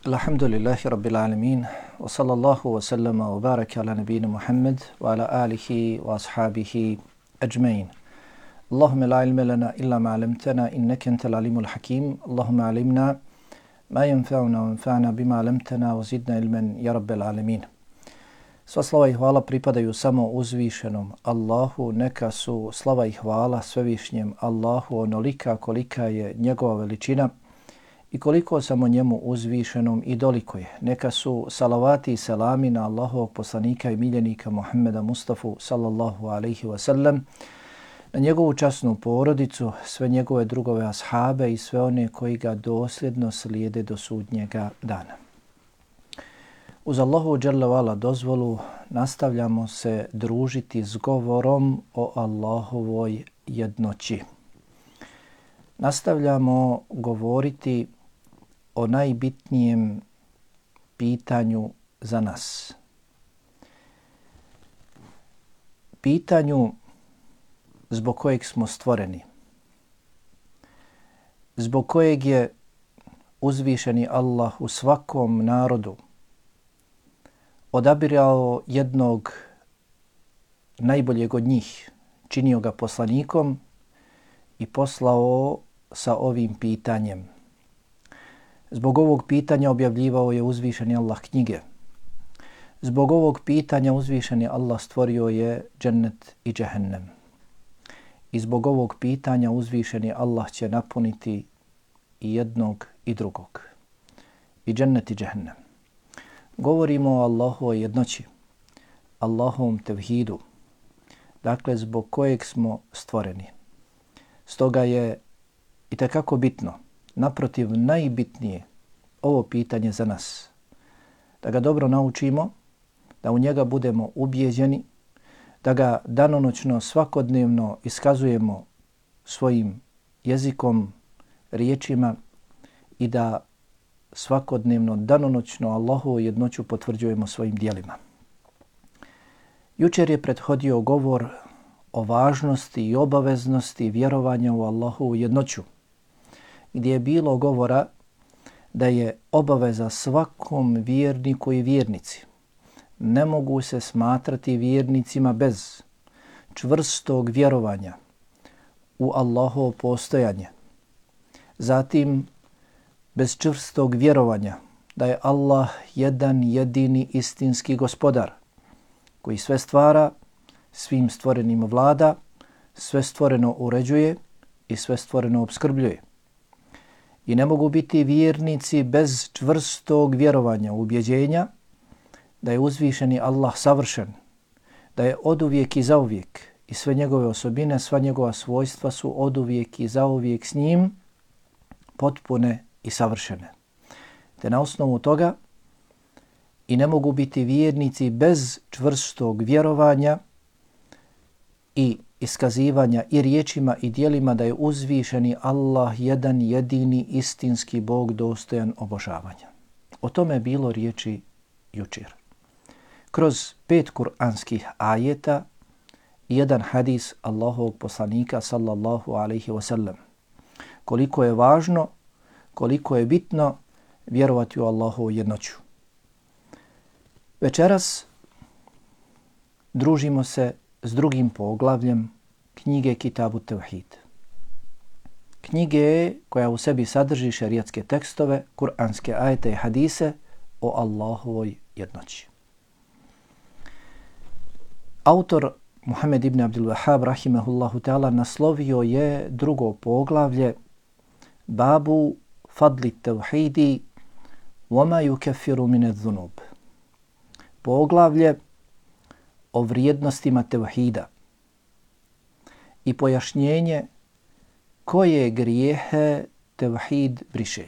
Alhamdulillahi Rabbil Alamin, wa sallallahu wa sallama wa baraka ala nabina Muhammad wa ala alihi wa ashabihi ajmain. Allahumma la ilma lana illa ma 'allamtana innaka antal alimul hakim. Allahumma 'allimna ma yanfa'una wa anfa'na bima 'allamtana wa zidna ilman ya Rabbil Alamin. Sva slava i hvala pripadaju samo uzvišenom Allahu, neka su slava i hvala svevišnjem Allahu onolika kolika je njegova veličina i koliko samo njemu uzvišenom i doliko je. Neka su salavati i selami na Allahovog poslanika i miljenika Muhammeda Mustafa sallallahu alaihi wa sallam, na njegovu časnu porodicu, sve njegove drugove ashabe i sve one koji ga dosljedno slijede do sudnjega dana. Uz Allahu dželle ve ala dozvolu nastavljamo se družiti s govorom o Allahovoj jednoći. Nastavljamo govoriti o najbitnijem pitanju za nas. Pitanju zbog kojeg smo stvoreni. Zbog kojeg je uzvišeni Allah u svakom narodu odabirao jednog najboljeg od njih, činio ga poslanikom i poslao sa ovim pitanjem. Zbog ovog pitanja objavljivao je uzvišeni Allah knjige. Zbog ovog pitanja uzvišeni Allah stvorio je džennet i džehennem. I zbog ovog pitanja uzvišeni Allah će napuniti i jednog i drugog. I džennet i džehennem. Govorimo o Allahovoj jednoći, Allahovom tevhidu, dakle zbog kojeg smo stvoreni. Stoga je itekako bitno, naprotiv najbitnije, ovo pitanje za nas. Da ga dobro naučimo, da u njega budemo ubijeđeni, da ga danonoćno svakodnevno iskazujemo svojim jezikom, riječima i da svakodnevno, danonoćno Allahovu jednoću potvrđujemo svojim dijelima. Jučer je prethodio govor o važnosti i obaveznosti vjerovanja u Allahovu jednoću, gdje je bilo govora da je obaveza svakom vjerniku i vjernici. Ne mogu se smatrati vjernicima bez čvrstog vjerovanja u Allahovo postojanje. Zatim, bez čvrstog vjerovanja da je Allah jedan jedini istinski gospodar koji sve stvara, svim stvorenim vlada, sve stvoreno uređuje i sve stvoreno opskrbljuje. I ne mogu biti vjernici bez čvrstog vjerovanja, ubjeđenja da je uzvišeni Allah savršen, da je oduvijek i zauvijek i sve njegove osobine, sva njegova svojstva su oduvijek i zauvijek s njim potpune i savršene. Te na osnovu toga i ne mogu biti vjernici bez čvrstog vjerovanja i iskazivanja i riječima i dijelima da je uzvišeni Allah jedan jedini istinski Bog dostojan obožavanja. O tome je bilo riječi jučer. Kroz 5 kuranskih ajeta i jedan hadis Allahovog poslanika sallallahu alaihi wa sallam. Koliko je važno, koliko je bitno vjerovati u Allahovu jednoću. Večeras družimo se s drugim poglavljem knjige Kitabu Tevhid. Knjige koja u sebi sadrži šerijatske tekstove, kuranske ajete i hadise o Allahovoj jednoći. Autor Muhammed ibn Abdul Wahhab rahimahullahu ta'ala naslovio je drugo poglavlje Babu fadli tevhidi wama yukaffiru min adh-dhunub. Poglavlje o vrijednostima tevhida i pojašnjenje koje grijehe tevhid briše.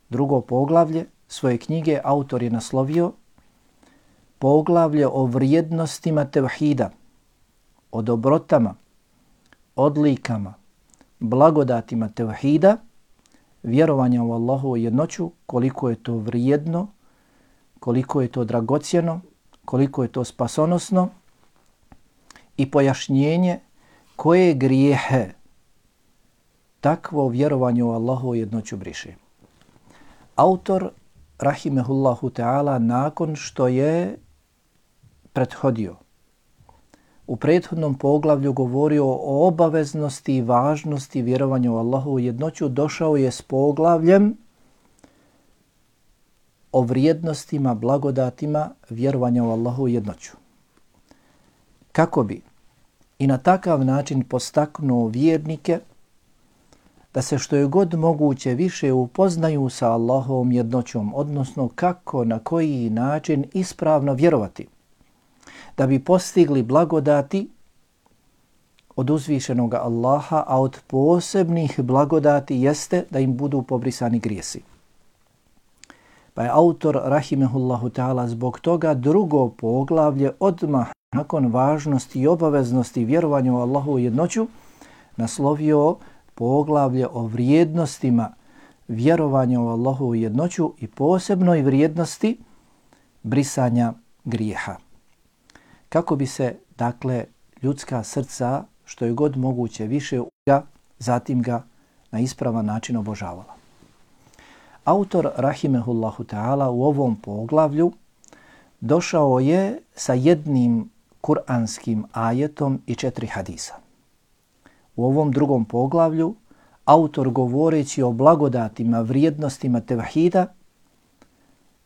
Drugo poglavlje svoje knjige autor je naslovio poglavlje o vrijednostima tevhida, o dobrotama, odlikama, blagodatima tevhida, vjerovanja u Allahovu jednoću, koliko je to vrijedno, koliko je to dragocjeno, koliko je to spasonosno i pojašnjenje koje grijehe takvo vjerovanje u Allahovu jednoću briše. Autor, rahimehullahu ta'ala, nakon što je prethodio u prethodnom poglavlju govorio o obaveznosti i važnosti vjerovanja u Allahovu jednoću, došao je s poglavljem o vrijednostima, blagodatima vjerovanja u Allahovu jednoću. Kako bi i na takav način postaknuo vjernike da se što je god moguće više upoznaju sa Allahovom jednoćom, odnosno kako, na koji način ispravno vjerovati, da bi postigli blagodati od uzvišenog Allaha, a od posebnih blagodati jeste da im budu pobrisani grijesi. Pa je autor, rahimehullahu ta'ala, zbog toga drugo poglavlje odmah nakon važnosti i obaveznosti vjerovanja u Allahovu jednoću naslovio poglavlje o vrijednostima vjerovanja u Allahovu jednoću i posebnoj vrijednosti brisanja grijeha. Kako bi se, dakle, ljudska srca što je god moguće više zatim ga na ispravan način obožavala. Autor, rahimehullahu ta'ala, u ovom poglavlju došao je sa jednim kuranskim ajetom i 4 hadisa. U ovom drugom poglavlju autor, govoreći o blagodatima, vrijednostima tevhida,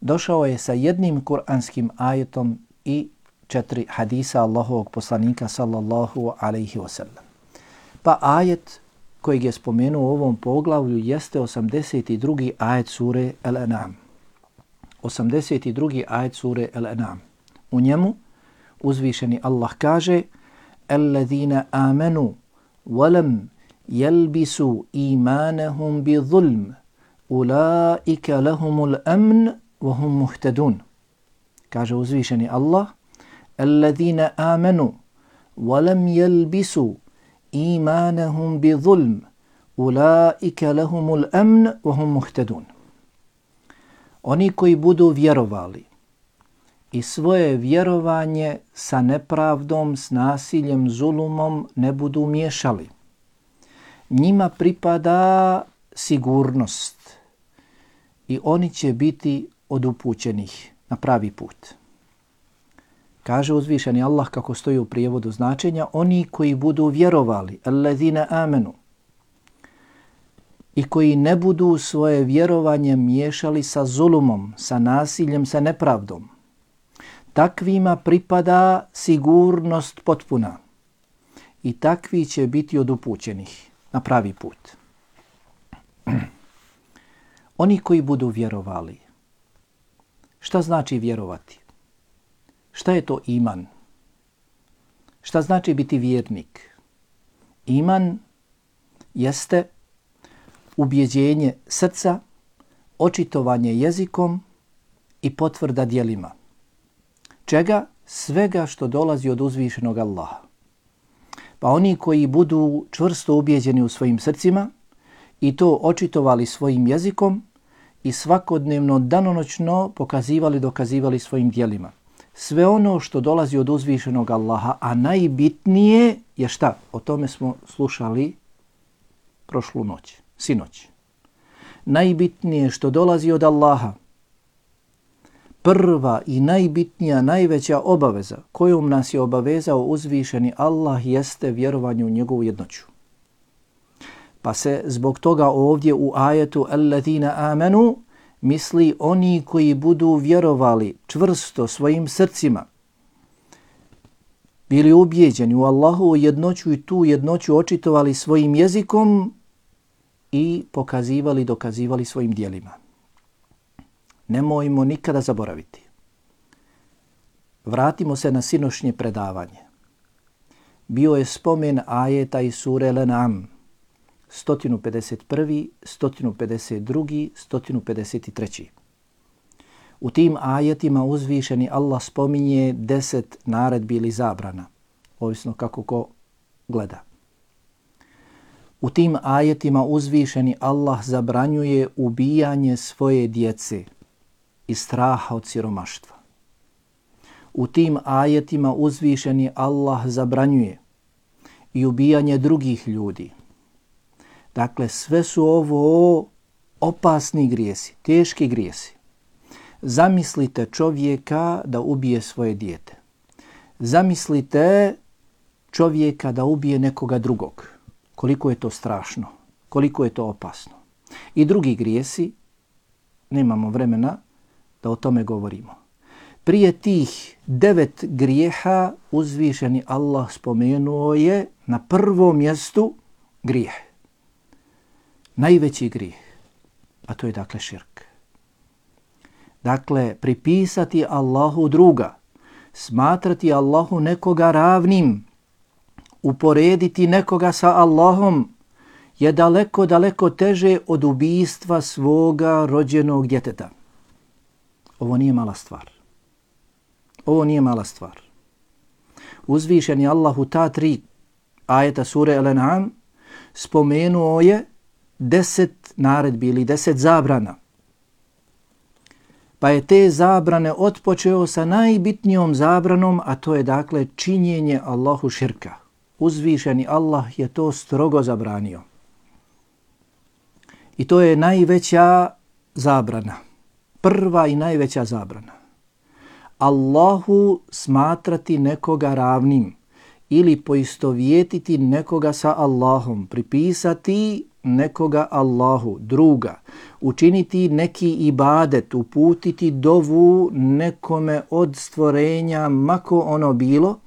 došao je sa jednim kuranskim ajetom i 4 hadisa Allahovog poslanika sallallahu alaihi wasallam. Pa ajet kojeg je spomenuo u ovom poglavlju jeste 82. ajet sure Al-An'am. 82. ajet sure Al-An'am. U njemu uzvišeni Allah kaže: "Alladhina amanu walam yalbisu imanahum bi zulm ulaika lahumul amn wa hum muhtadun." Kaže uzvišeni Allah: "Alladhina amanu walam yalbisu imanahum bi zulm ulaika lahumul amn wa hum muhtadun." Oni koji budu vjerovali i svoje vjerovanje sa nepravdom, s nasiljem, zulumom ne budu miješali, njima pripada sigurnost i oni će biti od upućenih na pravi put. Kaže uzvišeni Allah, kako stoji u prijevodu značenja, oni koji budu vjerovali, alladhina amanu, i koji ne budu svoje vjerovanje miješali sa zulumom, sa nasiljem, sa nepravdom, takvima pripada sigurnost potpuna i takvi će biti od upućenih na pravi put. Oni koji budu vjerovali. Šta znači vjerovati? Šta je to iman? Šta znači biti vjernik? Iman jeste ubjeđenje srca, očitovanje jezikom i potvrda djelima. Čega? Svega što dolazi od uzvišenog Allaha. Pa oni koji budu čvrsto ubjeđeni u svojim srcima i to očitovali svojim jezikom i svakodnevno, danonoćno pokazivali, dokazivali svojim djelima. Sve ono što dolazi od uzvišenog Allaha, a najbitnije je šta? O tome smo slušali prošlu noć, sinoć. Najbitnije što dolazi od Allaha, prva i najbitnija, najveća obaveza kojom nas je obavezao uzvišeni Allah jeste vjerovanje u njegovu jednoću. Pa se zbog toga ovdje u ajetu alladhina amanu misli oni koji budu vjerovali čvrsto svojim srcima, bili ubijeđeni u Allahovu jednoću i tu jednoću očitovali svojim jezikom i pokazivali, dokazivali svojim djelima. Nemojmo nikada zaboraviti. Vratimo se na sinošnje predavanje. Bio je spomen ajeta iz sure Al-An'am, 151., 152., 153. U tim ajetima uzvišeni Allah spominje 10 naredbi ili zabrana, ovisno kako ko gleda. U tim ajetima uzvišeni Allah zabranjuje ubijanje svoje djece iz straha od siromaštva. U tim ajetima uzvišeni Allah zabranjuje i ubijanje drugih ljudi. Dakle, sve su ovo opasni grijesi, teški grijesi. Zamislite čovjeka da ubije svoje dijete. Zamislite čovjeka da ubije nekoga drugog. Koliko je to strašno, koliko je to opasno. I drugi grijesi, nemamo vremena da o tome govorimo. Prije tih 9 grijeha uzvišeni Allah spomenuo je na prvom mjestu grijeh. Najveći grijeh, a to je dakle širk. Dakle, pripisati Allahu druga, smatrati Allahu nekoga ravnim, uporediti nekoga sa Allahom je daleko, daleko teže od ubijstva svoga rođenog djeteta. Ovo nije mala stvar. Ovo nije mala stvar. Uzvišen je Allah u ta 3 ajeta sure Al-An'am spomenuo je 10 naredbi ili 10 zabrana. Pa je te zabrane otpočeo sa najbitnijom zabranom, a to je dakle činjenje Allahu širka. Uzvišeni Allah je to strogo zabranio. I to je najveća zabrana. Prva i najveća zabrana. Allahu smatrati nekoga ravnim ili poistovjetiti nekoga sa Allahom, pripisati nekoga Allahu, druga, učiniti neki ibadet, uputiti dovu nekome od stvorenja, mako ono bilo,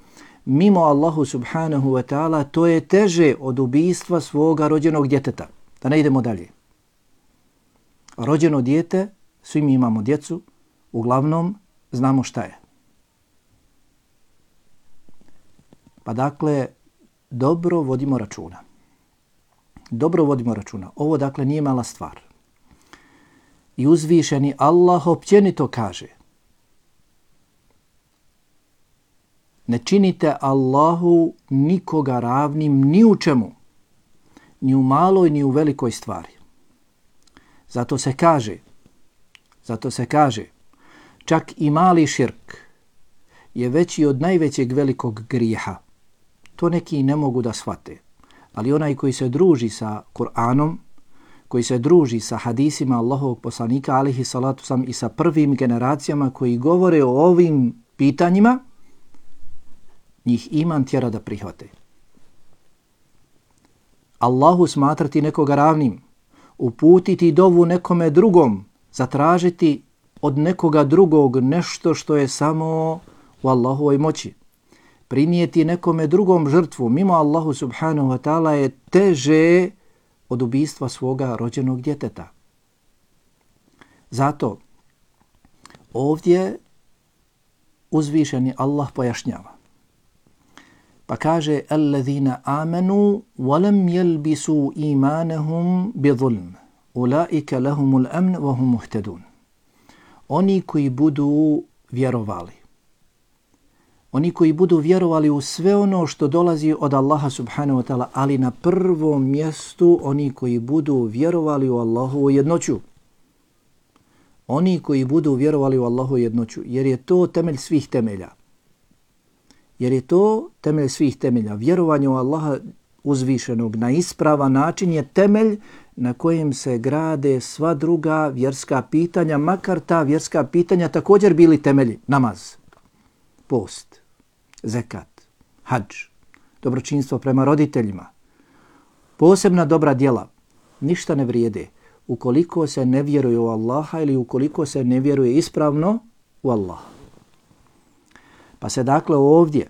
mimo Allahu subhanahu wa ta'ala, to je teže od ubijstva svoga rođenog djeteta. Da ne idemo dalje. Rođeno dijete, svi mi imamo djecu, uglavnom znamo šta je. Pa dakle, dobro vodimo računa. Dobro vodimo računa. Ovo dakle nije mala stvar. I uzvišeni Allah općenito kaže: ne činite Allahu nikoga ravnim ni u čemu, ni u maloj ni u velikoj stvari. Zato se kaže, čak i mali širk je veći od najvećeg velikog grijeha. To neki ne mogu da shvate. Ali onaj koji se druži sa Kur'anom, koji se druži sa hadisima Allahovog poslanika alihi salatu sam i sa prvim generacijama koji govore o ovim pitanjima, njih iman tjera da prihvate. Allahu smatrati nekoga ravnim, uputiti dovu nekome drugom, zatražiti od nekoga drugog nešto što je samo u Allahovoj moći. Prinijeti nekome drugom žrtvu mimo Allahu subhanahu wa ta'ala je teže od ubijstva svoga rođenog djeteta. Zato ovdje uzvišeni Allah pojašnjava. Pa kaže: "Allazina amanu wa lam yalbisu imanahum bizulm, ulaika lahumul amn wa hum muhtadun." Oni koji budu vjerovali. Oni koji budu vjerovali u sve ono što dolazi od Allaha subhanahu wa ta'ala, ali na prvom mjestu oni koji budu vjerovali u Allahovu jednoću. Oni koji budu vjerovali u Allahovu jednoću, jer je to temelj svih temelja. Vjerovanje u Allaha uzvišenog na ispravan način je temelj na kojem se grade sva druga vjerska pitanja, makar ta vjerska pitanja također bili temelji. Namaz, post, zekat, hadž, dobročinstvo prema roditeljima, posebna dobra djela, ništa ne vrijede ukoliko se ne vjeruje u Allaha ili ukoliko se ne vjeruje ispravno u Allaha. Pa se dakle ovdje,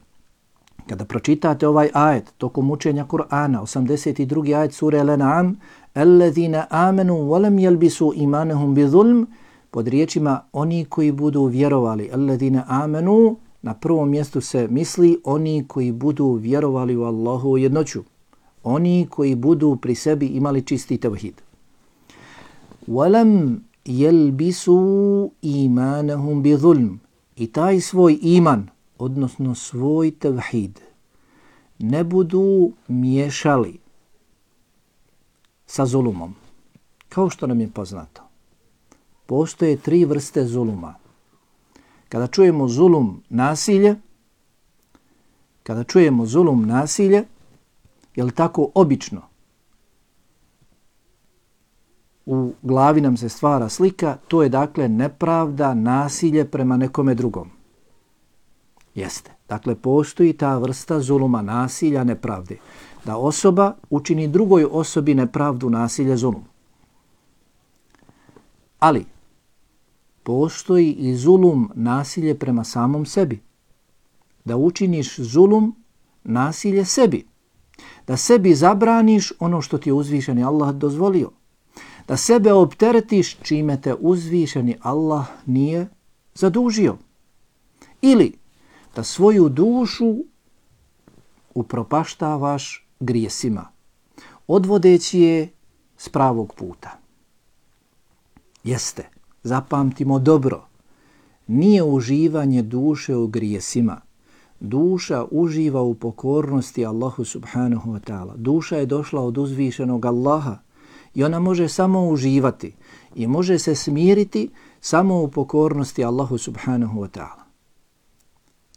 kada pročitate ovaj ajet tokom učenja Kur'ana, 82. ajet sure Al-An'am, "Allazina amanu wa lam yalbisu imanahum bizulm", pod riječima oni koji budu vjerovali, allazina amanu, na prvom mjestu se misli oni koji budu vjerovali u Allahu jednoću. Oni koji budu pri sebi imali čisti tevhid. "Walam yalbisu imanahum bizulm", i taj svoj iman, odnosno svoj tevhid, ne budu miješali sa zulumom. Kao što nam je poznato, postoje 3 vrste zuluma. Kada čujemo zulum nasilje, je li tako obično? u glavi nam se stvara slika, to je dakle nepravda, nasilje prema nekome drugom. Jeste. Dakle, postoji ta vrsta zuluma, nasilja, nepravde. Da osoba učini drugoj osobi nepravdu, nasilje, zulum. Ali, postoji i zulum, nasilje prema samom sebi. Da učiniš zulum, nasilje sebi. Da sebi zabraniš ono što ti je uzvišeni Allah dozvolio. Da sebe opteretiš čime te uzvišeni Allah nije zadužio. Ili da svoju dušu upropaštavaš grijesima, odvodeći je s pravog puta. Jeste, zapamtimo dobro, nije uživanje duše u grijesima. Duša uživa u pokornosti Allahu subhanahu wa ta'ala. Duša je došla od uzvišenog Allaha i ona može samo uživati i može se smiriti samo u pokornosti Allahu subhanahu wa ta'ala.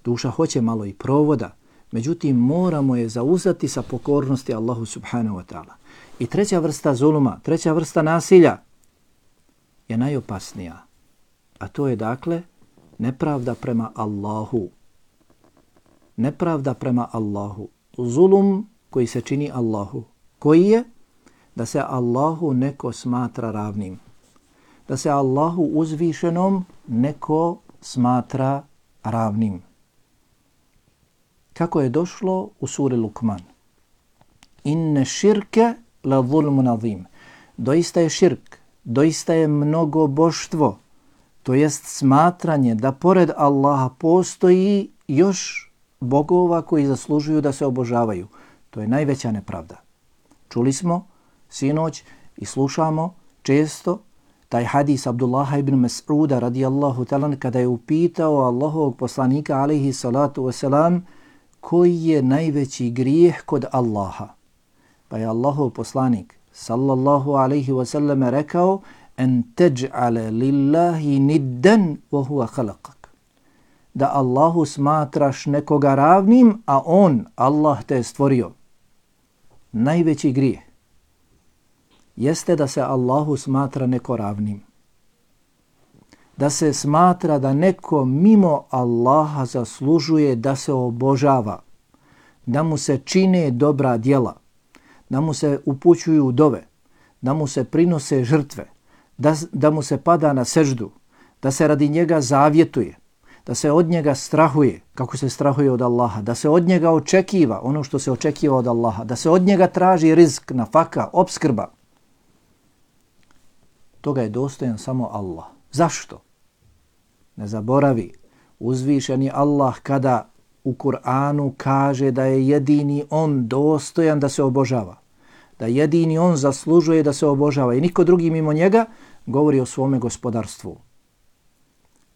Duša hoće malo i provoda, međutim moramo je zauzeti sa pokornosti Allahu subhanahu wa ta'ala. I treća vrsta zuluma, treća vrsta nasilja je najopasnija, a to je dakle nepravda prema Allahu. Nepravda prema Allahu. Zulum koji se čini Allahu. Koji je? Da se Allahu neko smatra ravnim. Da se Allahu uzvišenom neko smatra ravnim. Kako je došlo u suri Lukman. Inne širke la zulmun azim. Doista je širk, doista je mnogoboštvo, to jest smatranje da pored Allaha postoji još bogova koji zaslužuju da se obožavaju. To je najveća nepravda. Čuli smo sinoć i slušamo često taj hadis Abdullaha ibn Mas'uda radijallahu ta'ala kada je upitao Allahovog poslanika alaihi salatu wasalam koji je najveći grijeh kod Allaha. Pa je Allahov poslanik sallallahu alaihi wasallam rekao en teđ'ale lillahi niddan wa huwa khalaqak. Da Allahu smatraš nekoga ravnim, a on, Allah, te je stvorio. Najveći grijeh jeste da se Allahu smatra neko ravnim. Da se smatra da neko mimo Allaha zaslužuje da se obožava, da mu se čine dobra djela, da mu se upućuju dove, da mu se prinose žrtve, da mu se pada na seždu, da se radi njega zavjetuje, da se od njega strahuje, kako se strahuje od Allaha, da se od njega očekiva ono što se očekiva od Allaha, da se od njega traži rizk, nafaka, opskrba. Toga je dostojan samo Allah. Zašto? Ne zaboravi, uzvišeni Allah kada u Kur'anu kaže da je jedini on dostojan da se obožava, da jedini on zaslužuje da se obožava i niko drugi mimo njega, govori o svome gospodarstvu.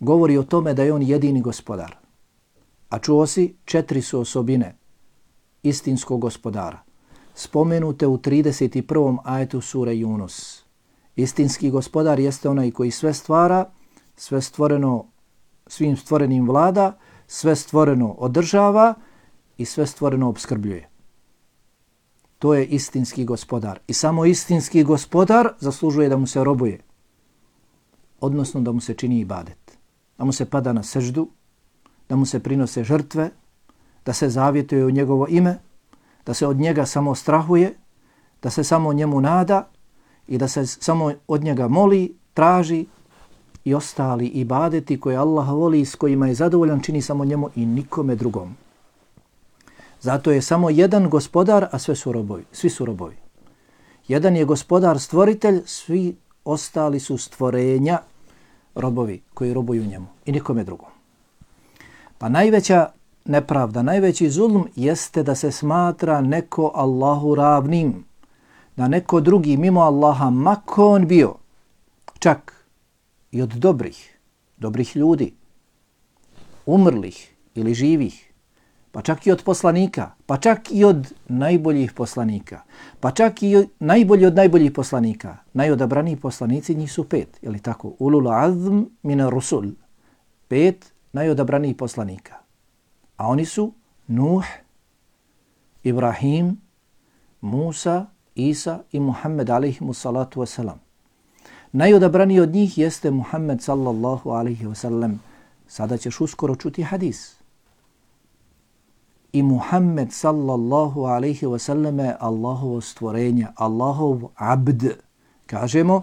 Govori o tome da je on jedini gospodar. A čuo si, 4 su osobine istinskog gospodara. Spomenute u 31. ajetu sure Yunus. Istinski gospodar jeste onaj koji sve stvara, sve stvoreno, svim stvorenim vlada, sve stvoreno održava i sve stvoreno opskrbljuje. To je istinski gospodar. I samo istinski gospodar zaslužuje da mu se robuje. Odnosno da mu se čini ibadet. Da mu se pada na seždu, da mu se prinose žrtve, da se zavjetuje u njegovo ime, da se od njega samo strahuje, da se samo njemu nada i da se samo od njega moli, traži i ostali ibadeti koje Allah voli i s kojima je zadovoljan čini samo njemu i nikome drugom. Zato je samo jedan gospodar, a sve su robovi, svi su robovi. Jedan je gospodar stvoritelj, svi ostali su stvorenja, robovi koji robuju njemu i nikome drugom. Pa najveća nepravda, najveći zulm jeste da se smatra neko Allahu ravnim, da neko drugi mimo Allaha, mako on bio, čak i od dobrih ljudi, umrlih ili živih, pa čak i od poslanika, pa čak i od najboljih poslanika, pa čak i najbolji od najboljih poslanika. Najodabraniji poslanici njih su 5, je li tako? Ulul azm mina rusul. 5 najodabranijih poslanika. A oni su Nuh, Ibrahim, Musa, Isa i Muhammed alaihimu salatu wasalam. Najodabraniji od njih jeste Muhammed sallallahu alaihi wasallam. Sada ćeš uskoro čuti hadis. I Muhammed sallallahu alaihi wasallam je Allahovo stvorenje, Allahov abd. Kažemo,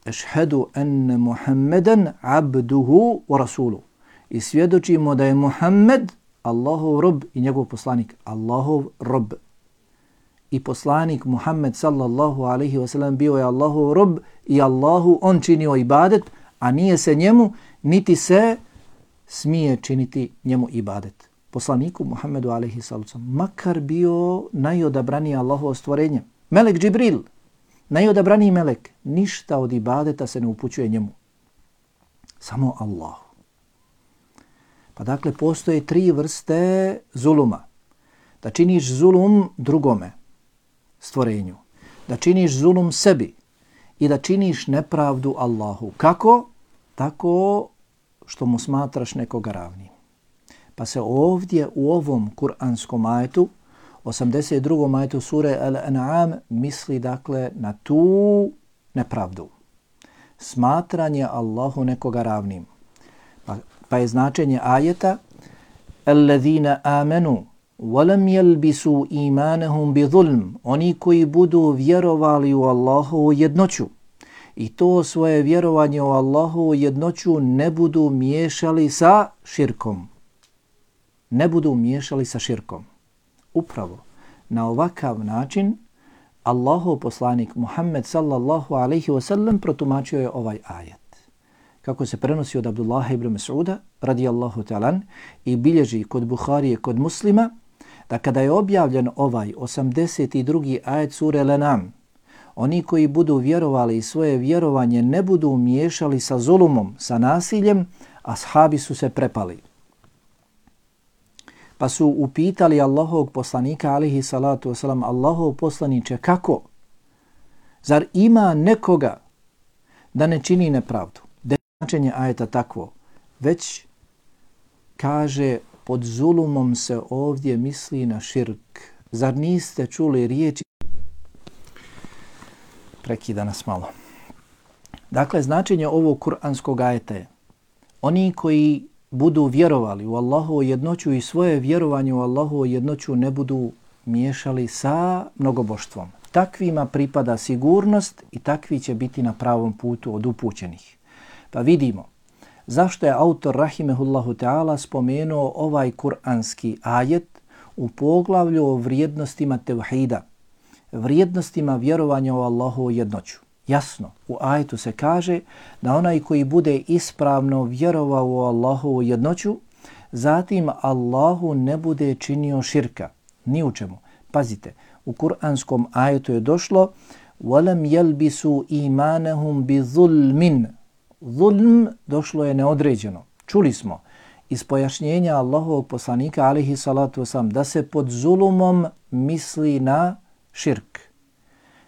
ešhedu enne Muhammeden abduhu wa rasuluhu. I svjedočimo da je Muhammed Allahov rob i njegov poslanik. Allahov rob. I poslanik Muhammed sallallahu alaihi wasallam bio je Allahov rob i Allahu on činio ibadet, a nije se njemu, niti se smije činiti njemu ibadet. Poslaniku Muhammedu alaihi sallam, makar bio najodabraniji Allahovo stvorenje. Melek Džibril, najodabraniji melek, ništa od ibadeta se ne upućuje njemu. Samo Allahu. Pa dakle, postoje 3 vrste zuluma. Da činiš zulum drugome, stvorenju. Da činiš zulum sebi i da činiš nepravdu Allahu. Kako? Tako što mu smatraš nekoga ravnim. Pa se ovdje u ovom kuranskom ajetu, 82. ajetu sure Al-An'am, misli dakle na tu nepravdu. Smatranje Allahu nekoga ravnim. Pa je značenje ajeta Alladhina amanu walam yalbisu imanahum bizulm. Oni koji budu vjerovali u Allahovu jednoću i to svoje vjerovanje u Allahovu jednoću ne budu miješali sa širkom. Ne budu miješali sa širkom. Upravo na ovakav način Allahov poslanik Muhammed sallallahu alaihi wasallam protumačio je ovaj ajet. Kako se prenosi od Abdullaha ibn Mas'uda radijallahu ta'ala i bilježi kod Buharije, kod Muslima, da kada je objavljen ovaj 82. ajet sure Al-An'am, oni koji budu vjerovali i svoje vjerovanje ne budu miješali sa zulumom, sa nasiljem, ashabi su se prepali. Pa su upitali Allahovog poslanika alaihi salatu wasalam, Allahov poslaniče, kako? Zar ima nekoga da ne čini nepravdu? Značenje ajeta takvo, već kaže pod zulumom se ovdje misli na širk. Zar niste čuli riječi? Prekida nas malo. Dakle, značenje ovog kuranskog ajeta je oni koji budu vjerovali u Allahovu jednoću i svoje vjerovanje u Allahovu jednoću ne budu miješali sa mnogoboštvom. Takvima pripada sigurnost i takvi će biti na pravom putu od upućenih. Pa vidimo zašto je autor rahimehullahu ta'ala spomenuo ovaj kuranski ajet u poglavlju o vrijednostima tevhida, vrijednostima vjerovanja u Allahovu jednoću. Jasno, u ajetu se kaže da onaj koji bude ispravno vjerovao u Allahovu jednoću, zatim Allahu ne bude činio širka. Ni u čemu. Pazite, u kuranskom ajetu je došlo وَلَمْ يَلْبِسُوا إِيمَانَهُمْ بِظُلْمٍ. Zulm došlo je neodređeno. Čuli smo iz pojašnjenja Allahovog poslanika alejhi salatu vesselam da se pod zulumom misli na širk.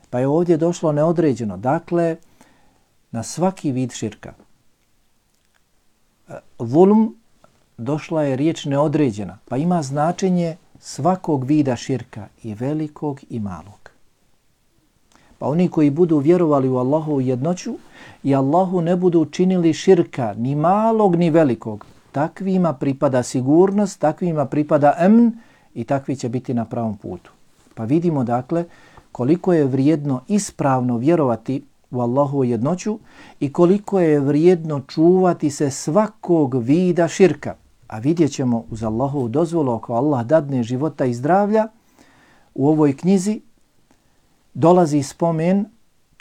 Pa je ovdje došlo neodređeno. Dakle, na svaki vid širka. Zulm došla je riječ neodređena. Pa ima značenje svakog vida širka, i velikog i malog. Pa oni koji budu vjerovali u Allahovu jednoću i Allahu ne budu činili širka, ni malog ni velikog, takvima pripada sigurnost, takvima pripada emn i takvi će biti na pravom putu. Pa vidimo dakle koliko je vrijedno ispravno vjerovati u Allahovu jednoću i koliko je vrijedno čuvati se svakog vida širka. A vidjet ćemo uz Allahovu dozvolu, ako Allah dadne života i zdravlja, u ovoj knjizi dolazi spomen,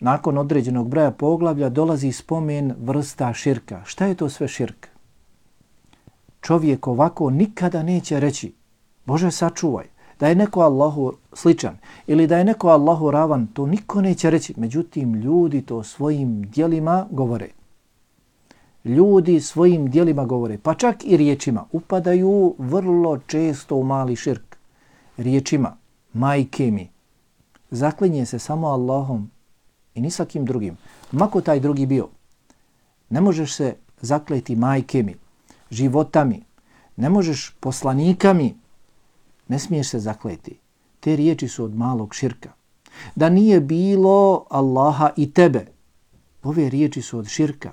nakon određenog broja poglavlja, dolazi spomen vrsta širka. Šta je to sve širk? Čovjek ovako nikada neće reći, Bože sačuvaj, da je neko Allahu sličan ili da je neko Allahu ravan, to niko neće reći. Međutim, ljudi to svojim djelima govore. Ljudi svojim djelima govore, pa čak i riječima, upadaju vrlo često u mali širk. Riječima, majke mi, zaklinje se samo Allahom i ni sa kim drugim. Mako taj drugi bio, ne možeš se zakleti majke mi, životami, ne možeš poslanikami, ne smiješ se zakleti. Te riječi su od malog širka. Da nije bilo Allaha i tebe, Ove riječi su od širka.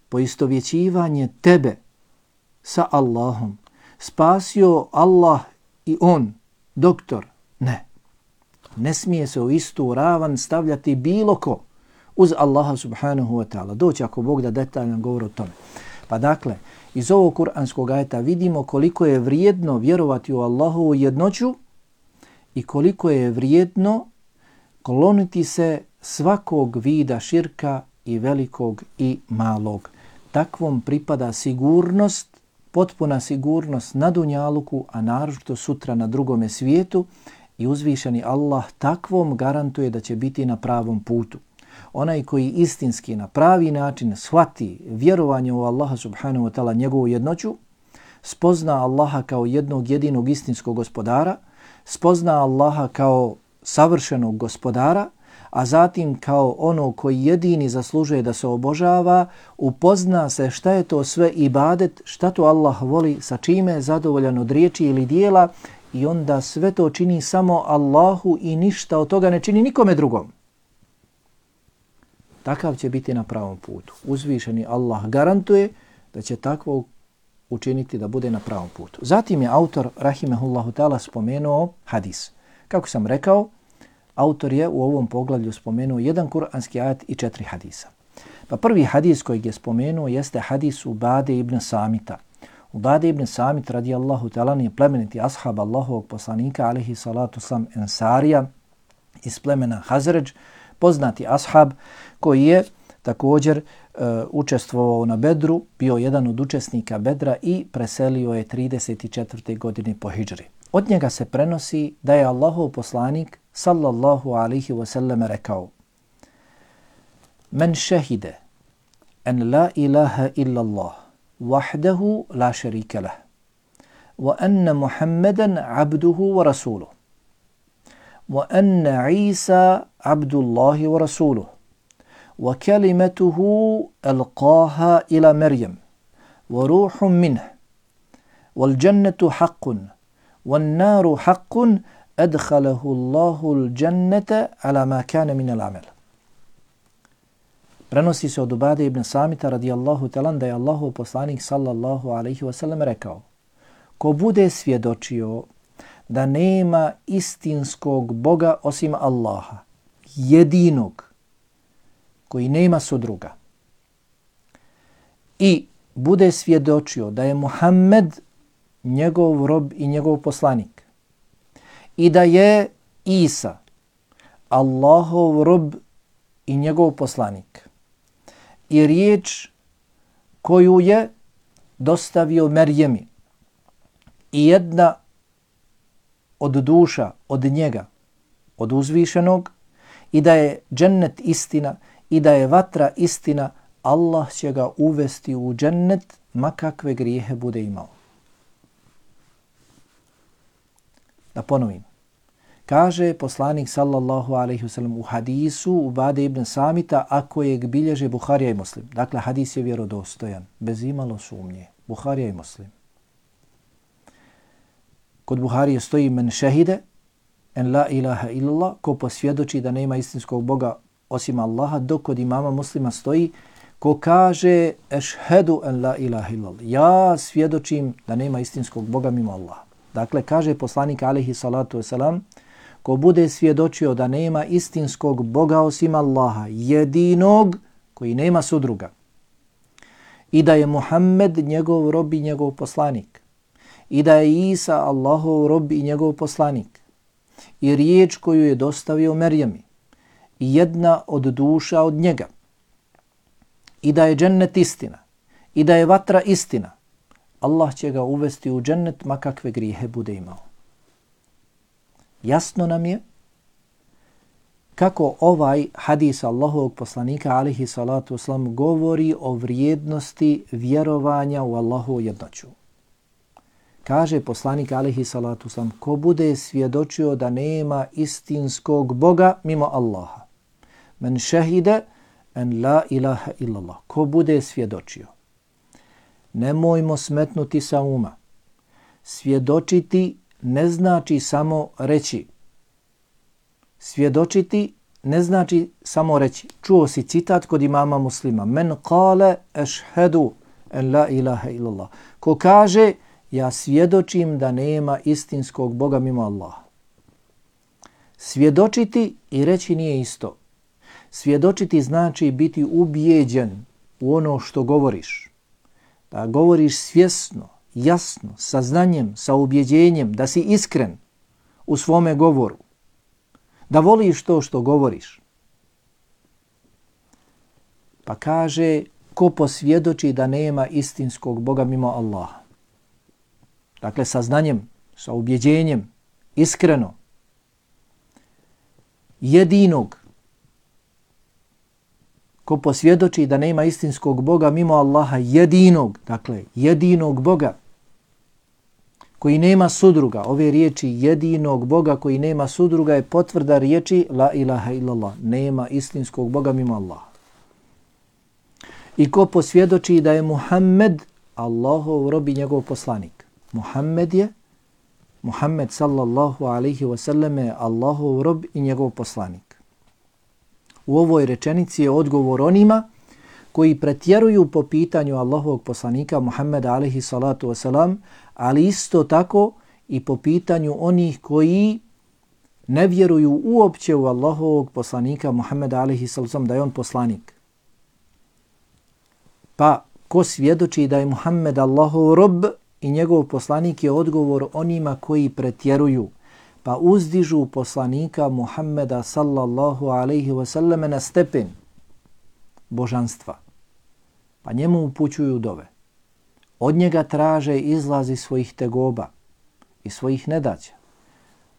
Poistovjećivanje tebe sa Allahom. Spasio Allah i on, doktor. Ne. Ne smije se u istu ravan stavljati bilo ko uz Allaha subhanahu wa ta'ala. Doći ako Bog da detaljan govor o tome. Pa dakle, iz ovog kuranskog ajeta vidimo koliko je vrijedno vjerovati u Allahovu jednoću i koliko je vrijedno kloniti se svakog vida širka i velikog i malog. Takvom pripada sigurnost, potpuna sigurnost na dunjaluku, a naročito sutra na drugome svijetu, i uzvišeni Allah takvom garantuje da će biti na pravom putu. Onaj koji istinski na pravi način shvati vjerovanje u Allaha subhanahu wa ta'ala, njegovu jednoću, spozna Allaha kao jednog jedinog istinskog gospodara, spozna Allaha kao savršenog gospodara, a zatim kao ono koji jedini zaslužuje da se obožava, upozna se šta je to sve ibadet, šta to Allah voli, sa čime je zadovoljan od riječi ili dijela, i onda sve to čini samo Allahu i ništa od toga ne čini nikome drugom. Takav će biti na pravom putu. Uzvišeni Allah garantuje da će takvo učiniti da bude na pravom putu. Zatim je autor, rahimehullahu ta'ala, spomenuo hadis. Kako sam rekao, autor je u ovom poglavlju spomenuo jedan kuranski ajet i 4 hadisa. Pa prvi hadis kojeg je spomenuo jeste hadis Ubade ibn Samita. Ubade ibn Samit radijallahu ta'ala je plemeniti ashab Allahovog poslanika alejhi salatu sam Ensarija iz plemena Hazređ, poznati ashab koji je također učestvovao na Bedru, bio jedan od učesnika Bedra i preselio je 34. godine po hidžri. Od njega se prenosi da je Allahov poslanik sallallahu alaihi wasallam rekao: Men šehide en la ilaha illa Allah wahdahu la šarika lah wa anna Muhammadan abduhu wa rasuluh wa anna Isa abdullahi wa rasuluh wa kalimatuhu alqaha ila Maryam wa ruhun minhu wal jannatu haqqun wan naru haqqun adkhalahu Allahu al-jannata ala ma kana min al-amal. Prenosi se od Ubade ibn Samita radijallahu ta'ala da je Allahov poslanik sallallahu alaihi wasallam rekao: ko bude svjedočio da nema istinskog Boga osim Allaha, jedinog, koji nema sudruga, i bude svjedočio da je Muhammed njegov rob i njegov poslanik, i da je Isa Allahov rob i njegov poslanik, i riječ koju je dostavio Merjemi, i jedna od duša od njega, od uzvišenog, i da je džennet istina i da je vatra istina, Allah će ga uvesti u džennet ma kakve grijehe bude imao. Da ponovim. Kaže poslanik sallallahu alaihi wasallam u hadisu Ubade ibn Samita, a kojeg bilježe Buharija i Muslim. Dakle, hadis je vjerodostojan, bez imalo sumnje. Buharija i Muslim. Kod Buharije stoji men šehide en la ilaha illallah, ko posvjedoči da nema istinskog Boga osim Allaha, dok kod imama Muslima stoji ko kaže ešhedu en la ilaha illallah, ja svjedočim da nema istinskog Boga mimo Allaha. Dakle, kaže poslanik alejhi salatu wasalam, ko bude svjedočio da nema istinskog Boga osim Allaha, jedinog koji nema sudruga, i da je Muhammed njegov rob i njegov poslanik, i da je Isa Allahov rob i njegov poslanik, i riječ koju je dostavio Merjemi, i jedna od duša od njega, i da je džennet istina, i da je vatra istina, Allah će ga uvesti u džennet ma kakve grijehe bude imao. Jasno nam je kako ovaj hadis Allahovog poslanika alejhi salatu vesselam govori o vrijednosti vjerovanja u Allahovu jednoću. Kaže poslanik alejhi salatu vesselam, ko bude svjedočio da nema istinskog Boga mimo Allaha, men šehide en la ilaha illallah, ko bude svjedočio. Nemojmo smetnuti sa uma. Svjedočiti ne znači samo reći. Svjedočiti ne znači samo reći. Čuo si citat kod imama Muslima. Men kale ešhedu en la ilaha illallah. Ko kaže, ja svjedočim da nema istinskog Boga mimo Allaha. Svjedočiti i reći nije isto. Svjedočiti znači biti ubijeđen u ono što govoriš. Da govoriš svjesno, jasno, sa znanjem, sa ubjeđenjem, da si iskren u svome govoru. Da voliš to što govoriš. Pa kaže, ko posvjedoči da nema istinskog Boga mimo Allaha. Dakle, sa znanjem, sa ubjeđenjem, iskreno. Jedinog. Ko posvjedoči da nema istinskog Boga mimo Allaha, jedinog, dakle, jedinog Boga, koji nema sudruga. Ove riječi jedinog Boga koji nema sudruga je potvrda riječi la ilaha illallah. Nema istinskog Boga mimo Allaha. I ko posvjedoči da je Muhammed Allahov rob i njegov poslanik. Muhammed sallallahu alaihi wasallam je Allahov rob i njegov poslanik. U ovoj rečenici je odgovor onima koji pretjeruju po pitanju Allahovog poslanika Muhammeda alaihi salatu wasalam, ali isto tako i po pitanju onih koji ne vjeruju uopće u Allahovog poslanika Muhammeda alaihi salatu wasalam, da je on poslanik. Pa ko svjedoči da je Muhammed Allahov rob i njegov poslanik je odgovor onima koji pretjeruju, pa uzdižu poslanika Muhammeda sallallahu alaihi wasallam na stepen božanstva. Pa njemu upućuju dove. Od njega traže izlazi svojih tegoba i svojih nedaća.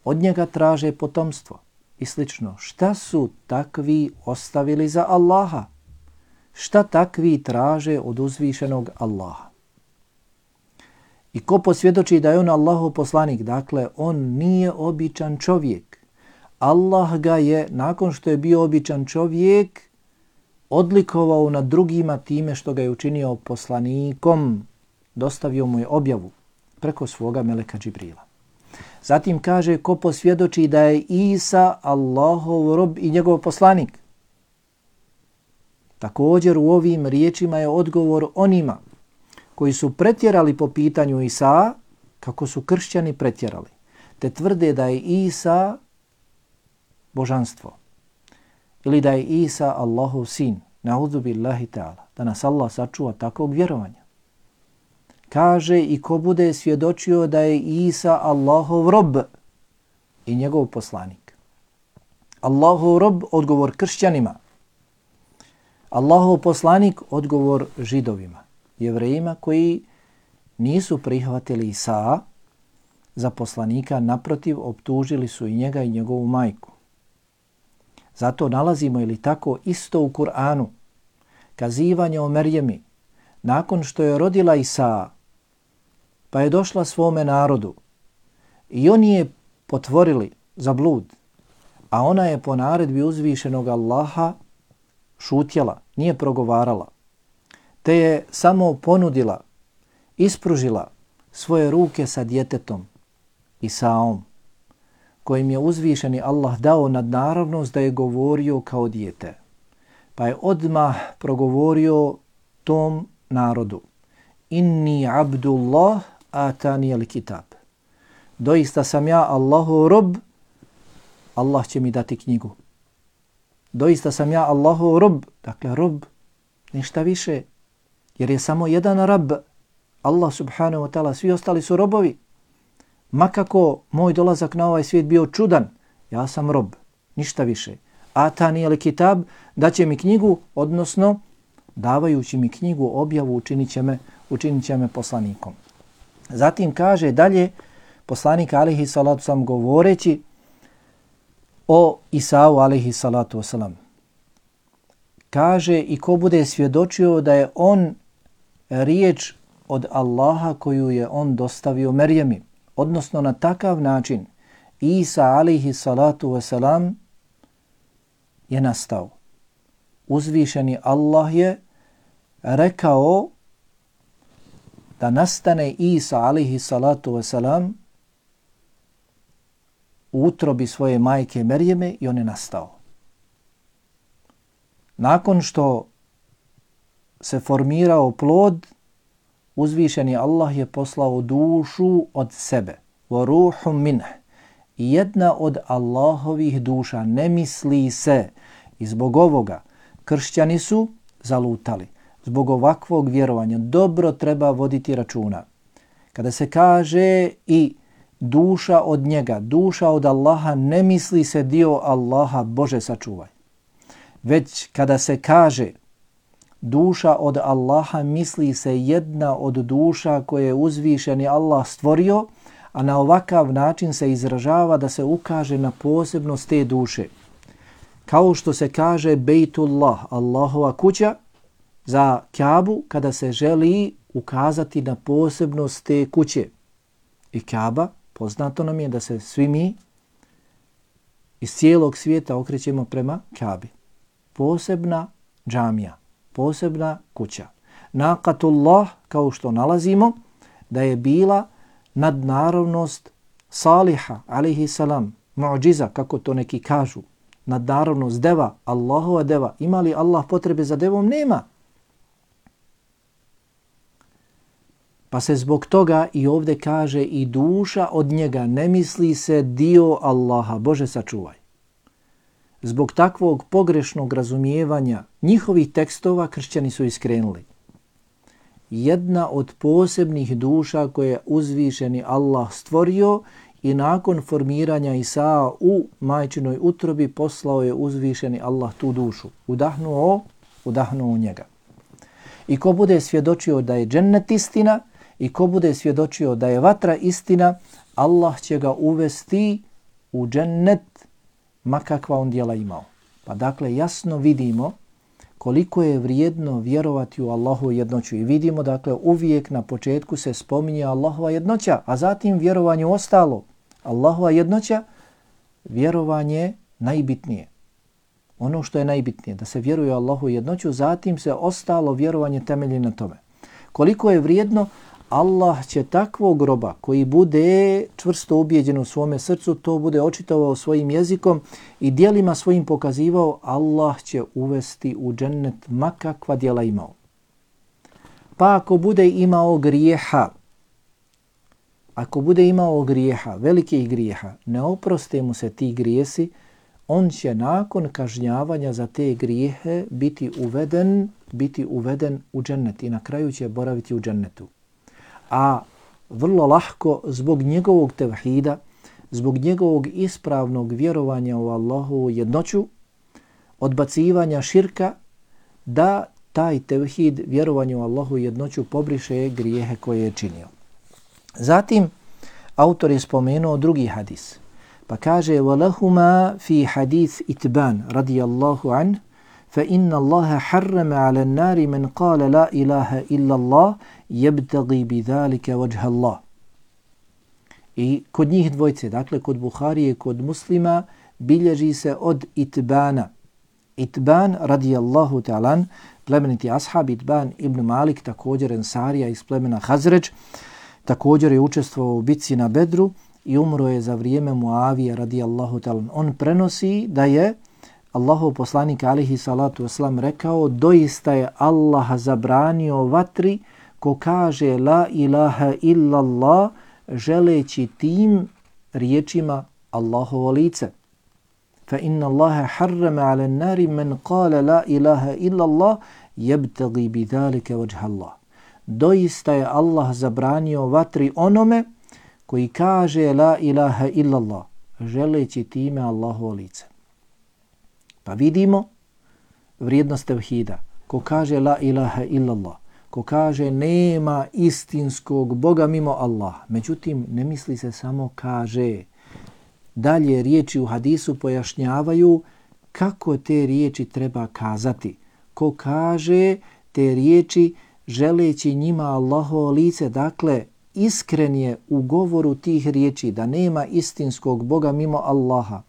Od njega traže potomstvo i slično. Šta su takvi ostavili za Allaha? Šta takvi traže od uzvišenog Allaha? I ko posvjedoči da je on Allahov poslanik, dakle on nije običan čovjek. Allah ga je, nakon što je bio običan čovjek, odlikovao nad drugima time što ga je učinio poslanikom. Dostavio mu je objavu preko svoga meleka Džibrila. Zatim kaže ko posvjedoči da je Isa Allahov rob i njegov poslanik. Također u ovim riječima je odgovor onima koji su pretjerali po pitanju Isa, kako su kršćani pretjerali, te tvrde da je Isa božanstvo ili da je Isa Allahov sin. Na'udhu billahi ta'ala. Da nas Allah sačuva takvog vjerovanja. Kaže i ko bude svjedočio da je Isa Allahov rob i njegov poslanik. Allahov rob, odgovor kršćanima. Allahov poslanik, odgovor židovima, jevrejima koji nisu prihvatili Isa za poslanika, naprotiv optužili su i njega i njegovu majku. Zato nalazimo ili tako isto u Kur'anu kazivanje o Merjemi nakon što je rodila Isa, pa je došla svome narodu i oni je potvorili za blud, a ona je po naredbi uzvišenog Allaha šutjela, nije progovarala, te je samo ponudila, ispružila svoje ruke sa djetetom Isaom, kojim je uzvišeni Allah dao nadnaravnost da je govorio kao dijete. Pa je odmah progovorio tom narodu: Inni abdullah atani al kitab. Doista sam ja Allahov rob, Allah će mi dati knjigu. Doista sam ja Allahov rob, dakle rob, ništa više, jer je samo jedan rab, Allah subhanahu wa ta'ala, svi ostali su robovi. Makako moj dolazak na ovaj svijet bio čudan, ja sam rob, ništa više. Atani al kitab, daće mi knjigu, odnosno davajući mi knjigu, objavu učinit će me poslanikom. Zatim kaže dalje poslanik alejhi salatu sam govoreći o Isau alejhi salatu wasalam. Kaže i ko bude svjedočio da je on riječ od Allaha koju je on dostavio Merjemi, odnosno na takav način Isa alejhi salatu wasalam je nastao. Uzvišeni Allah je rekao da nastane Isa alejhi salatu wasalam u utrobi svoje majke Merjeme i on je nastao. Nakon što se formirao plod, uzvišeni Allah je poslao dušu od sebe. وَرُوحٌ مِنْهِ. I jedna od Allahovih duša, ne misli se. I zbog ovoga kršćani su zalutali. Zbog ovakvog vjerovanja dobro treba voditi računa. Kada se kaže i duša od njega, duša od Allaha, ne misli se dio Allaha, Bože sačuvaj. Već kada se kaže duša od Allaha, misli se jedna od duša koje je uzvišeni Allah stvorio, a na ovakav način se izražava da se ukaže na posebnost te duše. Kao što se kaže Bejtullah, Allahova kuća, za Kaabu kada se želi ukazati na posebnost te kuće. I Kaaba, poznato nam je da se svi mi iz cijelog svijeta okrećemo prema Kaabi. Posebna džamija, posebna kuća. Naqatullah, kao što nalazimo, da je bila nadnaravnost Saliha, alaihi salam, mu'džiza, kako to neki kažu, nadnaravnost deva, Allahova deva. Ima li Allah potrebe za devom? Nema. Pa se zbog toga i ovdje kaže i duša od njega, ne misli se dio Allaha, Bože sačuvaj. Zbog takvog pogrešnog razumijevanja njihovih tekstova kršćani su iskrenuli. Jedna od posebnih duša koje je uzvišeni Allah stvorio i nakon formiranja Isaa u majčinoj utrobi poslao je uzvišeni Allah tu dušu. Udahnuo u njega. I ko bude svjedočio da je džennet istina i ko bude svjedočio da je vatra istina, Allah će ga uvesti u džennet ma kakva on djela imao. Pa dakle jasno vidimo koliko je vrijedno vjerovati u Allahovu jednoću i vidimo dakle uvijek na početku se spominje Allahova jednoća, a zatim vjerovanje ostalo. Allahova jednoća, vjerovanje najbitnije. Ono što je najbitnije, da se vjeruje u Allahovu jednoću, zatim se ostalo vjerovanje temelji na tome. Koliko je vrijedno, Allah će takvog roba koji bude čvrsto ubijeđen u svome srcu, to bude očitovao svojim jezikom i djelima svojim pokazivao, Allah će uvesti u džennet makakva djela imao. Pa ako bude imao grijeha, velikih grijeha, ne oproste mu se ti grijesi, on će nakon kažnjavanja za te grijehe biti uveden u džennet i na kraju će boraviti u džennetu. A vrlo lahko zbog njegovog tevhida, zbog njegovog ispravnog vjerovanja u Allahovu jednoću, odbacivanja širka, da taj tevhid, vjerovanje u Allahovu jednoću, pobriše grijehe koje je činio. Zatim, autor je spomenuo drugi hadis. Pa kaže, وَلَهُمَا فِي حَدِيث إِتْبَانِ رَضِيَ اللَّهُ عَنْهُ فَإِنَّ اللَّهَ حَرَّمَ عَلَى النَّارِ مَنْ قَالَ لَا إِلَهَ إِلَّا اللَّهِ يَبْتَغِي بِذَلِكَ وَجْهَ اللَّهِ. I kod njih dvojce, dakle kod Buharije, kod Muslima, bilježi se od Itbana. Itban radijallahu ta'alan, plemeniti ashab, Itban ibn Malik, također ensarija iz plemena Hazređ, također je učestvovao u bitci na Bedru i umro je za vrijeme Muavije radijallahu ta'alan. On prenosi da je Allahov poslanik alihi salatu wasalam rekao, doista je Allah zabranio vatri ko kaže la ilaha illallah, želeći tim riječima Allahovo lice. Fa inna Allaha harrama ala an-nari man qala la ilaha illallah yabtaghi bidhalika wajha Allah. Doista je Allah zabranio vatri onome koji kaže la ilaha illallah, želeći time Allahovo lice. Pa vidimo vrijednost tevhida. Ko kaže la ilaha illallah, ko kaže nema istinskog Boga mimo Allaha. Međutim, ne misli se samo kaže. Dalje riječi u hadisu pojašnjavaju kako te riječi treba kazati. Ko kaže te riječi želeći njima Allahovo lice, dakle iskren je u govoru tih riječi da nema istinskog Boga mimo Allaha.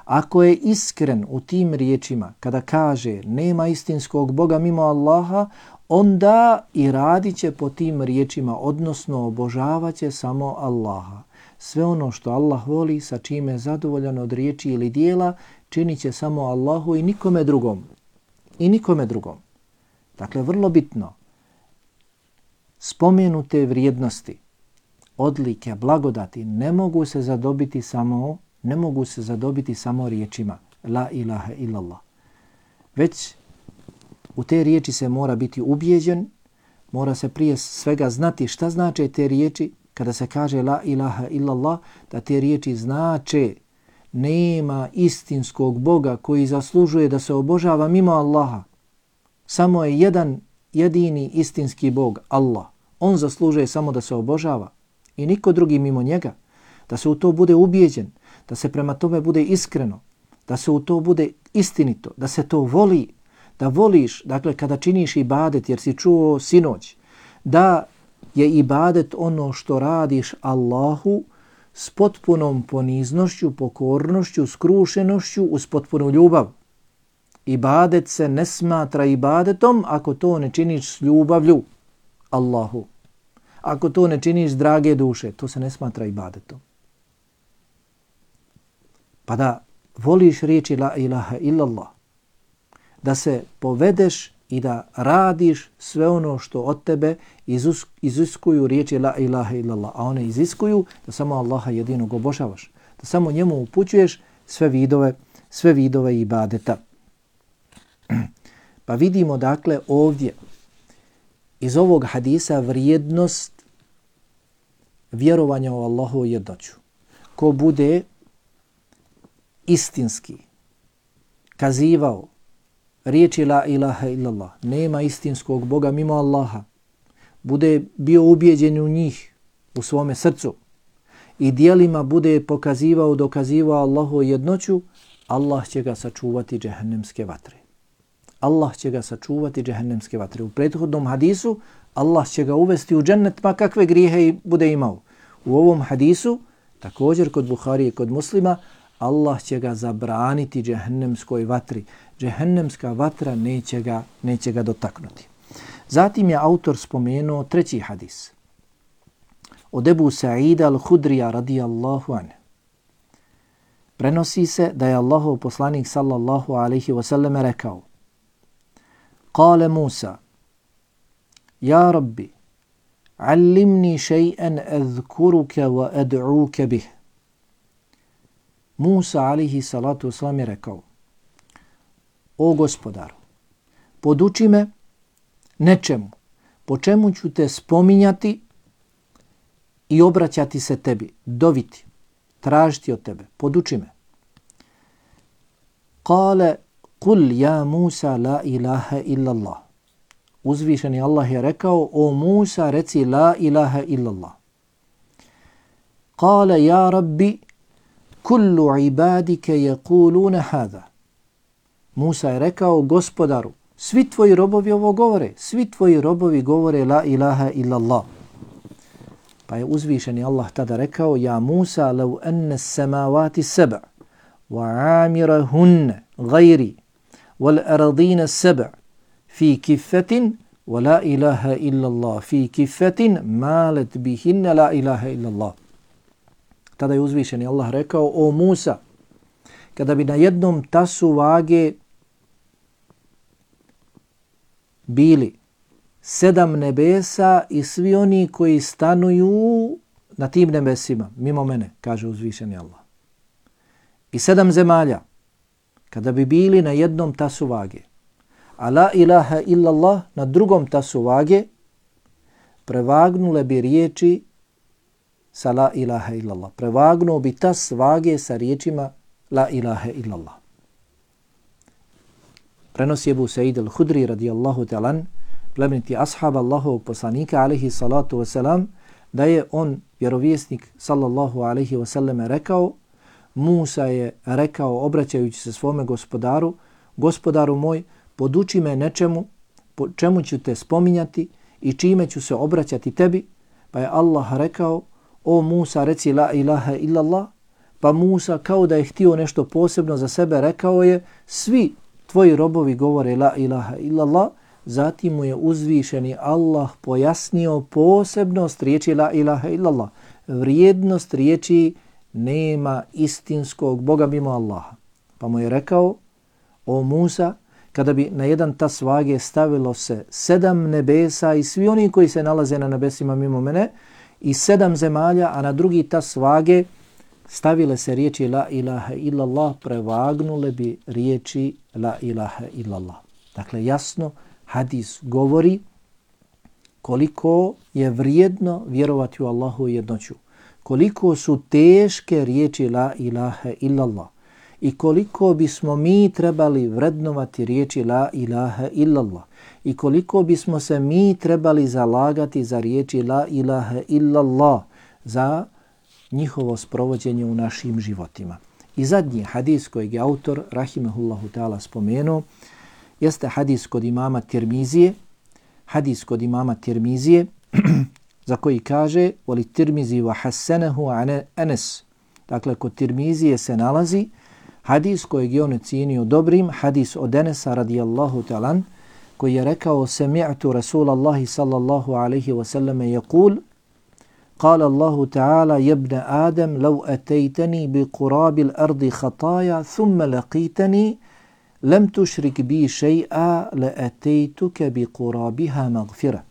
Ako je iskren u tim riječima kada kaže nema istinskog Boga mimo Allaha, onda i radit će po tim riječima, odnosno obožavat će samo Allaha. Sve ono što Allah voli, sa čime je zadovoljan od riječi ili dijela, činit će samo Allahu i nikome drugom. i nikome drugom. Dakle, vrlo bitno, spomenute vrijednosti, odlike, blagodati ne mogu se zadobiti samo riječima la ilaha illallah. Već u te riječi se mora biti ubijeđen, mora se prije svega znati šta znače te riječi. Kada se kaže la ilaha illallah, da te riječi znače nema istinskog Boga koji zaslužuje da se obožava mimo Allaha. Samo je jedan jedini istinski Bog, Allah. On zaslužuje samo da se obožava i niko drugi mimo njega. Da se u to bude ubijeđen, da se prema tome bude iskreno, da se u to bude istinito, da se to voli, da voliš, dakle kada činiš ibadet, jer si čuo sinoć, da je ibadet ono što radiš Allahu s potpunom poniznošću, pokornošću, skrušenošću, uz potpunu ljubav. Ibadet se ne smatra ibadetom ako to ne činiš s ljubavlju Allahu. Ako to ne činiš s drage duše, to se ne smatra ibadetom. Pa da voliš riječi la ilaha illallah, da se povedeš i da radiš sve ono što od tebe iziskuju riječi la ilaha illallah, a one iziskuju da samo Allaha jedinog obožavaš, da samo njemu upućuješ sve vidove ibadeta. Pa vidimo dakle ovdje iz ovog hadisa vrijednost vjerovanja u Allahovu jednoću. Ko bude istinski kazivao riječi la ilaha illallah, nema istinskog Boga mimo Allaha, bude bio ubijeđen u njih u svome srcu i dijelima bude pokazivao, dokazivao Allahovu jednoću, Allah će ga sačuvati džehennemske vatre. Allah će ga sačuvati džehennemske vatre. U prethodnom hadisu Allah će ga uvesti u džennet ma kakve grijehe bude imao. U ovom hadisu, također kod Buharije i kod Muslima, Allah će ga zabraniti džehennemskoj vatri. Džehennemska vatra neće ga dotaknuti. Zatim je autor spomenuo treći hadis. Od Ebu Sa'ida al-Hudrija radijallahu anhu. Prenosi se da je Allahov poslanik sallallahu alaihi wasallam rekao: Kale Musa, ja Rabbi, allimni še'an azkuruke wa ad'uke bih. Musa alaihi salatu wasalam je rekao: O gospodaru, poduči me nečemu, po čemu ću te spominjati i obraćati se tebi, doviti, tražiti od tebe, poduči me. Kale, kul ja Musa la ilaha illallah. Uzvišeni Allah je rekao: O Musa, reci la ilaha illallah. Kale, ja Rabbi, kullu ibadike yaquluna hada. Musa je rekao: gospodaru, svi tvoji robovi ovo govore, svi tvoji robovi govore la ilaha illallah. Pa je uzvišeni Allah tada rekao: ja Musa, law anna as-samawati sab' wa amirahunna ghayri wal ardina sab' fi kiffatin wa la ilaha illallah fi kiffatin malat bihinna la ilaha illallah. Tada je uzvišeni Allah rekao: o Musa, kada bi na jednom tasu vage bili 7 nebesa i svi oni koji stanuju na tim nebesima, mimo mene, kaže uzvišeni Allah. I 7 zemalja, kada bi bili na jednom tasu vage, a la ilaha illallah na drugom tasu vage, prevagnule bi riječi sa la ilaha illallah. Prevagnuo bi tas vage sa riječima la ilaha illallah. Prenosi Ebu Sa'id al-Hudri radijallahu ta'ala, plemeniti ashab Allahovog poslanika alaihi salatu wasalam, da je on, vjerovjesnik sallallahu alaihi wasallam, rekao: Musa je rekao, obraćajući se svome gospodaru: gospodaru moj, poduči me nečemu, po čemu ću te spominjati i čime ću se obraćati tebi. Pa je Allah rekao: o Musa, reci la ilaha illallah. Pa Musa, kao da je htio nešto posebno za sebe, rekao je: svi tvoji robovi govore la ilaha illallah. Zatim mu je uzvišeni Allah pojasnio posebnost riječi la ilaha illallah, vrijednost riječi nema istinskog Boga mimo Allaha. Pa mu je rekao: o Musa, kada bi na jedan tas vage stavilo se 7 nebesa i svi oni koji se nalaze na nebesima mimo mene i 7 zemalja, a na drugi tas vage stavile se riječi la ilaha illallah, prevagnule bi riječi la ilaha illallah. Dakle, jasno hadis govori koliko je vrijedno vjerovati u Allahu jednoću, koliko su teške riječi la ilaha illallah i koliko bismo mi trebali vrednovati riječi la ilaha illallah i koliko bismo se mi trebali zalagati za riječi la ilaha illallah, za njihovo sprovođenje u našim životima. I zadnji hadis kojeg je autor rahimehullahu ta'ala spomenuo jeste hadis kod imama Tirmizije, za koji kaže voli Tirmizi wa hasanehu Anas. Dakle, kod Tirmizije se nalazi hadis kojeg je on ocijenio dobrim, hadis od Anasa radijallahu ta'ala, koji je rekao sami'tu Rasulallahi sallallahu alaihi wa sallam yaqul قال الله تعالى يا ابن آدم لو أتيتني بقراب الأرض خطايا ثم لقيتني لم تشرك بي شيئا لأتيتك بقرابها مغفرة.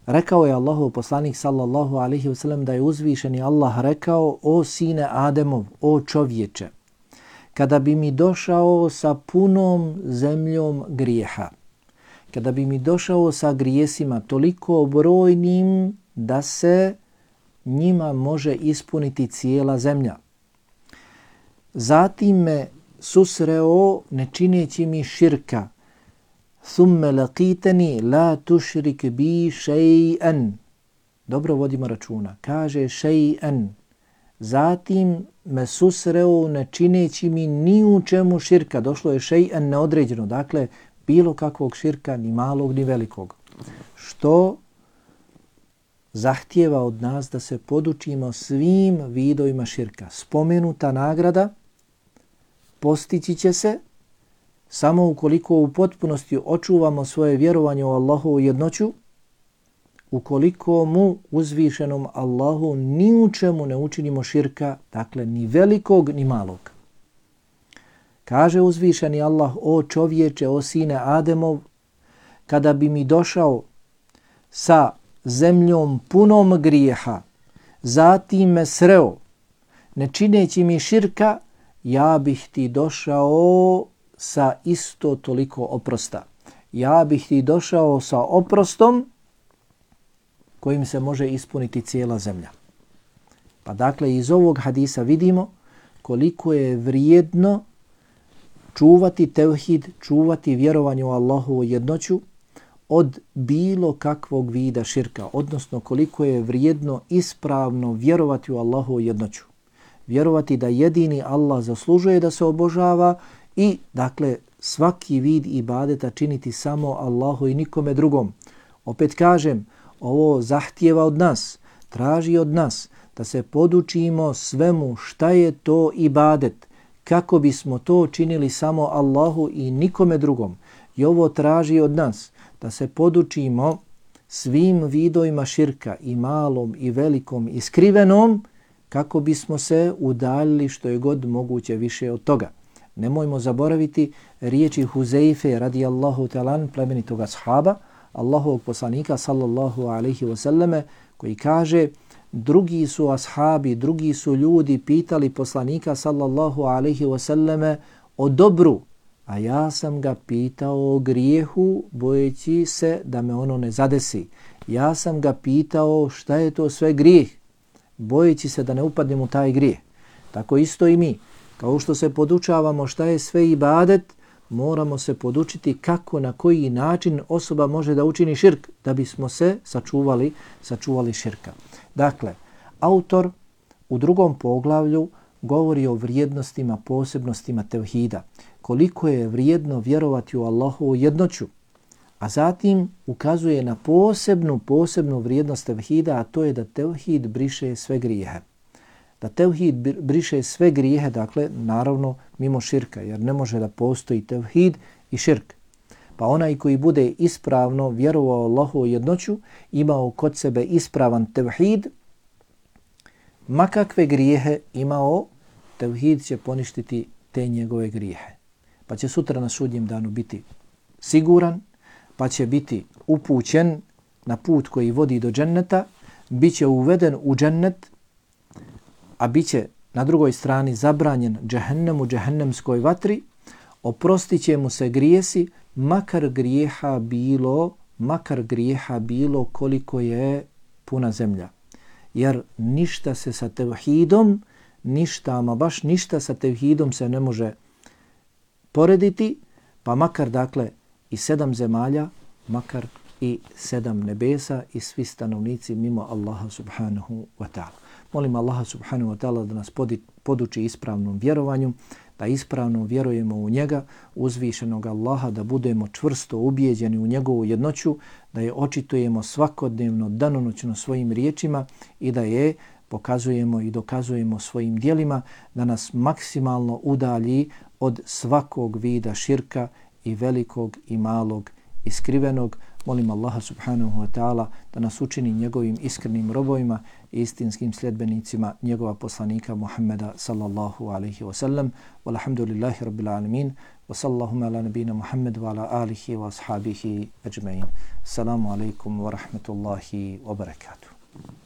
Rekao je Allahov poslanik sallallahu alaihi wa sallam da je uzvišeni Allah rekao: o sine Ademov, o čovječe, kada bi mi došao sa punom zemljom grijeha, kada bi mi došao sa grijesima toliko brojnim da se njima može ispuniti cijela zemlja, zatim me susreo ne čineći mi širka, thumme laqitani la tušrik bi še'an. Dobro vodimo računa, kaže še'an. Zatim me susreo ne čineći mi ni u čemu širka. Došlo je še'an neodređeno, dakle bilo kakvog širka, ni malog ni velikog. Što zahtijeva od nas da se podučimo svim vidovima širka. Spomenuta nagrada postići će se samo ukoliko u potpunosti očuvamo svoje vjerovanje u Allahovu jednoću, ukoliko mu uzvišenom Allahu ni u čemu ne učinimo širka, dakle ni velikog ni malog. Kaže uzvišeni Allah: o čovječe, o sine Ademov, kada bi mi došao sa zemljom punom grijeha, zatim me sreo ne čineći mi širka, ja bih ti došao sa isto toliko oprosta. Ja bih ti došao sa oprostom kojim se može ispuniti cijela zemlja. Pa dakle, iz ovog hadisa vidimo koliko je vrijedno čuvati tevhid, čuvati vjerovanje u Allahovu jednoću od bilo kakvog vida širka, odnosno koliko je vrijedno ispravno vjerovati u Allahovu jednoću. Vjerovati da jedini Allah zaslužuje da se obožava i dakle svaki vid ibadeta činiti samo Allahu i nikome drugom. Opet kažem, ovo zahtijeva od nas, traži od nas da se podučimo svemu šta je to ibadet, kako bismo to činili samo Allahu i nikome drugom. I ovo traži od nas da se podučimo svim vidovima širka, i malom i velikom i skrivenom, kako bismo se udaljili što je god moguće više od toga. Nemojmo zaboraviti riječi Huzeife radijallahu ta'ala, plemenitog ashaba, Allahovog poslanika sallallahu alaihi wasallame, koji kaže: drugi su ashabi, drugi su ljudi pitali poslanika sallallahu alaihi wasallame o dobru, a ja sam ga pitao o grijehu, bojeći se da me ono ne zadesi. Ja sam ga pitao šta je to sve grijeh, bojeći se da ne upadnem u taj grijeh. Tako isto i mi. Kao što se podučavamo šta je sve ibadet, moramo se podučiti kako, na koji način osoba može da učini širk, da bismo se sačuvali širka. Dakle, autor u drugom poglavlju govori o vrijednostima, posebnostima tevhida, koliko je vrijedno vjerovati u Allahovu jednoću, a zatim ukazuje na posebnu vrijednost tevhida, a to je da tevhid briše sve grijehe. Da tevhid briše sve grijehe, dakle, naravno mimo širka, jer ne može da postoji tevhid i širk. Pa onaj koji bude ispravno vjerovao Allahovu jednoću, imao kod sebe ispravan tevhid, ma kakve grijehe imao, tevhid će poništiti te njegove grijehe. pa će sutra na sudnjem danu biti siguran, pa će biti upućen na put koji vodi do dženneta, bit će uveden u džennet, a bit će na drugoj strani zabranjen džehennemu, džehennemskoj vatri, oprostit će mu se grijesi, makar grijeha bilo koliko je puna zemlja. Jer ništa se sa tevhidom, ništa sa tevhidom se ne može porediti, pa makar dakle i 7 zemalja, makar i 7 nebesa i svi stanovnici mimo Allaha subhanahu wa ta'ala. Molim Allaha subhanahu wa ta'ala da nas poduči ispravnom vjerovanju, da ispravno vjerujemo u njega, uzvišenog Allaha, da budemo čvrsto ubijeđeni u njegovu jednoću, da je očitujemo svakodnevno, danonoćno svojim riječima i da je pokazujemo i dokazujemo svojim djelima, da nas maksimalno udalji od svakog vida širka i velikog i malog i skrivenog. Molim Allaha subhanahu wa ta'ala da nas učini njegovim iskrenim robovima i istinskim sljedbenicima njegova poslanika Muhammeda sallallahu alaihi wa sallam. Walhamdulillahi rabbil alamin. Wa sallallahu ala nabina Muhammad wa ala alihi wa ashabihi ajma'in. Assalamu alaikum wa rahmatullahi wa barakatuh.